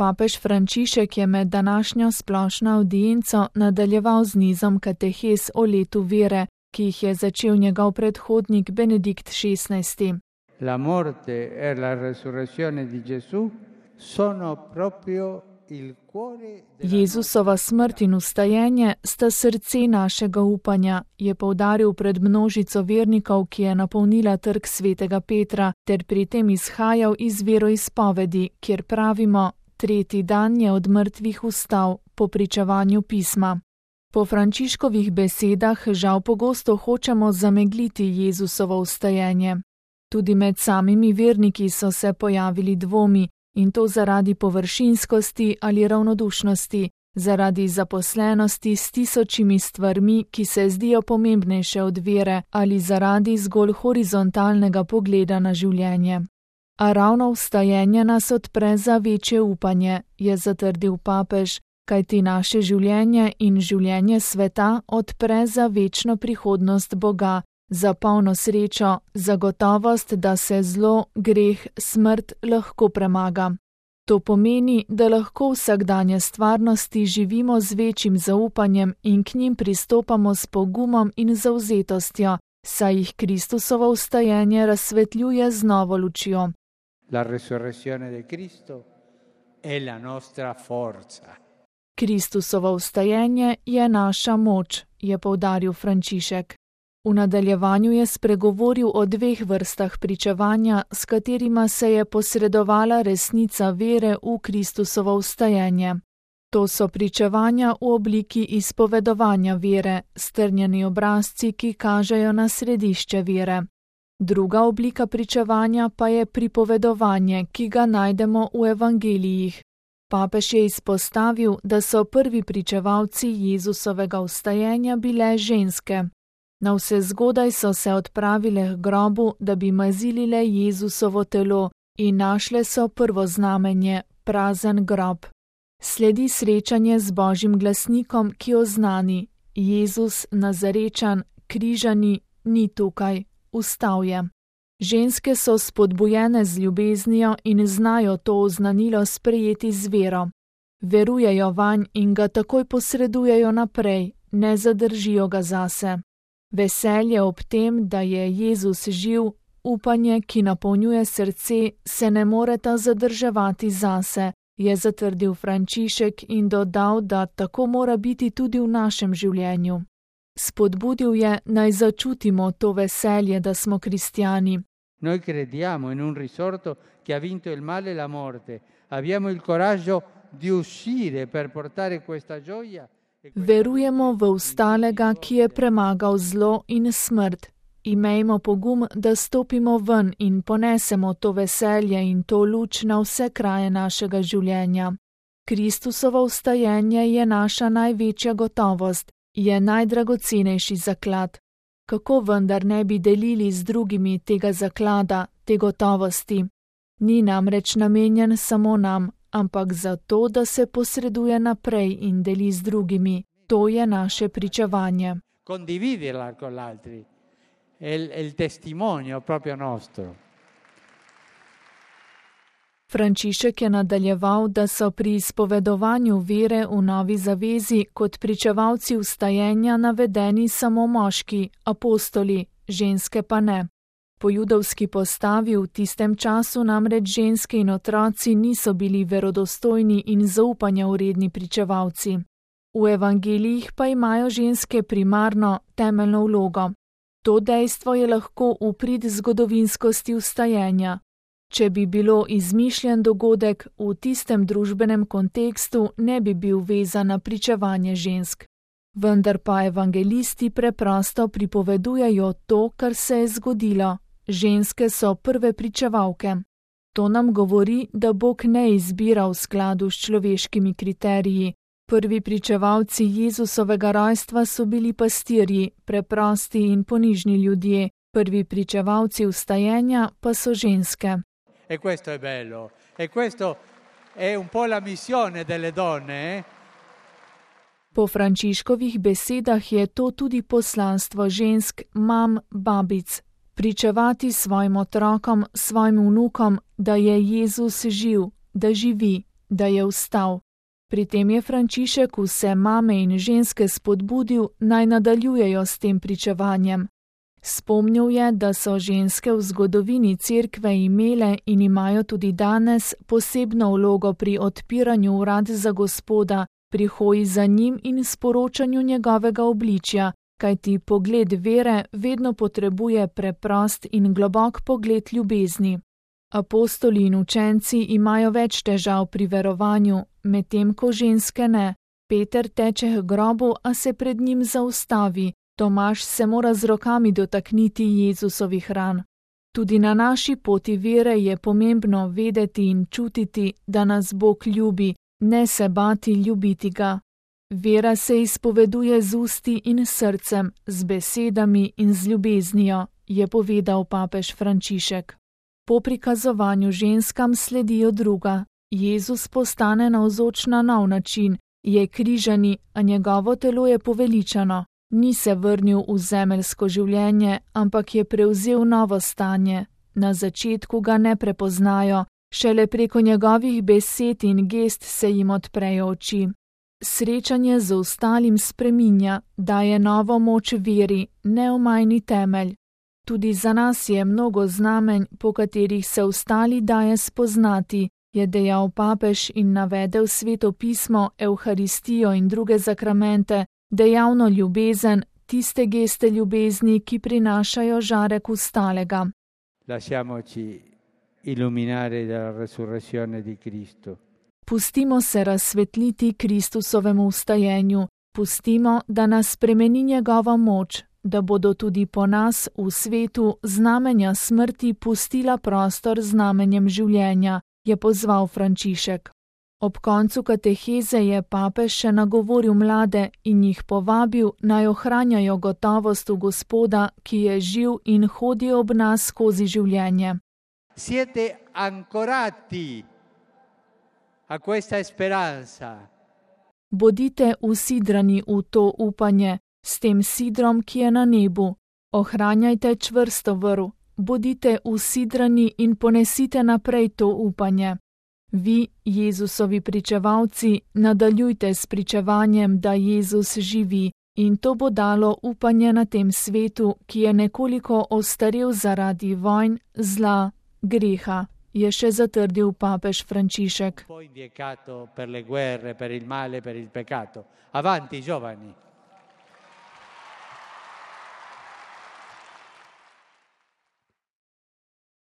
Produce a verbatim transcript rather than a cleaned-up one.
Papež Frančišek je med današnjo splošno avdienco nadaljeval z nizom katehes o letu vere, ki jih je začel njegov predhodnik Benedikt šestnajsti. La morte e la resurrezione di Gesù sono proprio il cuore della Jezusova smrt in vstajenje sta srce našega upanja, je poudaril pred množico vernikov, ki je napolnila trg svetega Petra, ter pri tem izhajal iz veroizpovedi, kjer pravimo: tretji dan je od mrtvih vstal, po pričevanju pisma. Po Frančiškovih besedah žal pogosto hočemo zamegliti Jezusovo vstajenje. Tudi med samimi verniki so se pojavili dvomi, in to zaradi površinskosti ali ravnodušnosti, zaradi zaposlenosti s tisočimi stvarmi, ki se zdijo pomembnejše od vere, ali zaradi zgolj horizontalnega pogleda na življenje. A ravno vstajenje nas odpre za večje upanje, je zatrdil papež, kajti naše življenje in življenje sveta odpre za večno prihodnost Boga, za polno srečo, za gotovost, da se zlo, greh, smrt lahko premaga. To pomeni, da lahko vsakdanje stvarnosti živimo z večjim zaupanjem in k njim pristopamo s pogumom in zavzetostjo, saj jih Kristusovo vstajenje razsvetljuje z novo lučjo. La resurrezione di Cristo è la nostra forza. Kristusovo vstajenje je naša moč, je poudaril Frančišek. V nadaljevanju je spregovoril o dveh vrstah pričevanja, s katerima se je posredovala resnica vere v Kristusovo vstajenje. To so pričevanja v obliki izpovedovanja vere, strnjeni obrazci, ki kažejo na središče vere. Druga oblika pričevanja pa je pripovedovanje, ki ga najdemo v evangelijih. Papež je izpostavil, da so prvi pričevalci Jezusovega vstajenja bile ženske. Navsezgodaj so se odpravile k grobu, da bi mazilile Jezusovo telo, in našle so prvo znamenje, prazen grob. Sledi srečanje z Božjim glasnikom, ki oznani: Jezus Nazarečan, križani, ni tukaj, vstal je. Ženske so spodbujene z ljubeznijo in znajo to oznanilo sprejeti z vero. Verujejo vanj in ga takoj posredujejo naprej, ne zadržijo ga zase. Veselje ob tem, da je Jezus živ, upanje, ki napolnjuje srce, se ne moreta zadrževati zase, je zatrdil Frančišek in dodal, da tako mora biti tudi v našem življenju. Spodbudil je, naj začutimo to veselje, da smo kristjani. Noi crediamo in un risorto che ha vinto il male e la morte. Abbiamo il coraggio di uscire per portare questa gioia. Verujemo v vstalega, ki je premagal zlo in smrt. Imejmo pogum, da stopimo ven in ponesemo to veselje in to luč na vse kraje našega življenja. Kristusovo vstajenje je naša največja gotovost, je najdragocenejši zaklad. Kako vendar ne bi delili z drugimi tega zaklada, te gotovosti? Ni namreč namenjen samo nam, ampak zato, da se posreduje naprej in deli z drugimi. To je naše pričevanje. Condividerla con l'altri. È il testimonio proprio nostro. Frančišek je nadaljeval, da so pri izpovedovanju vere v novi zavezi kot pričevalci vstajenja navedeni samo moški, apostoli, ženske pa ne. Po judovski postavi v tistem času namreč ženske in otroci niso bili verodostojni in zaupanja vredni pričevalci. V evangelijih pa imajo ženske primarno, temeljno vlogo. To dejstvo je lahko v prid zgodovinskosti vstajenja. Če bi bilo izmišljen dogodek, v tistem družbenem kontekstu ne bi bil vezan na pričevanje žensk. Vendar pa evangelisti preprosto pripovedujejo to, kar se je zgodilo. Ženske so prve pričevalke. To nam govori, da Bog ne izbira v skladu s človeškimi kriteriji. Prvi pričevalci Jezusovega rojstva so bili pastirji, preprosti in ponižni ljudje. Prvi pričevalci vstajenja pa so ženske. E questo è bello. E questo è un po' la missione delle donne, eh? Po Frančiškovih besedah je to tudi poslanstvo žensk, mam, babic. Pričevati svojim otrokom, svojim vnukom, da je Jezus živ, da živi, da je vstal. Pri tem je Frančišek vse mame in ženske spodbudil, naj nadaljujejo s tem pričevanjem. Spomnil je, da so ženske v zgodovini Cerkve imele in imajo tudi danes posebno vlogo pri odpiranju vrat za Gospoda, pri hoji za njim in sporočanju njegovega obličja, kajti pogled vere vedno potrebuje preprost in globok pogled ljubezni. Apostoli in učenci imajo več težav pri verovanju, medtem ko ženske ne. Peter teče k grobu, a se pred njim zaustavi. Tomaž se mora z rokami dotakniti Jezusovih ran. Tudi na naši poti vere je pomembno vedeti in čutiti, da nas Bog ljubi, ne se bati ljubiti ga. Vera se izpoveduje z usti in srcem, z besedami in z ljubeznijo, je povedal papež Frančišek. Po prikazovanju ženskam sledijo druga. Jezus postane navzoč na nov način, je križani, a njegovo telo je poveličano. Ni se vrnil v zemeljsko življenje, ampak je prevzel novo stanje. Na začetku ga ne prepoznajo, šele preko njegovih besed in gest se jim odprejo oči. Srečanje z ostalim spreminja, daje novo moč veri, neomajni temelj. Tudi za nas je mnogo znamenj, po katerih se ostali daje spoznati, je dejal papež in navedel Sveto pismo, Evharistijo in druge zakramente, dejavno ljubezen, tiste geste ljubezni, ki prinašajo žarek ustalega. Lasciamoci illuminare dalla resurrezione di Cristo. Pustimo se razsvetliti Kristusovemu vstajenju, pustimo, da nas spremeni njegova moč, da bodo tudi po nas v svetu znamenja smrti pustila prostor znamenjem življenja, je pozval Frančišek. Ob koncu kateheze je papež še nagovoril mlade in jih povabil, naj ohranjajo gotovost v Gospoda, ki je živ in hodi ob nas skozi življenje. Siete ancorati a questa speranza. Bodite usidrani v to upanje, s tem sidrom, ki je na nebu. Ohranjajte čvrsto vrv, bodite usidrani in ponesite naprej to upanje. Vi, Jezusovi pričevalci, nadaljujte s pričevanjem, da Jezus živi, in to bo dalo upanje na tem svetu, ki je nekoliko ostarel zaradi vojn, zla, greha, je še zatrdil papež Frančišek. Avanti, giovani!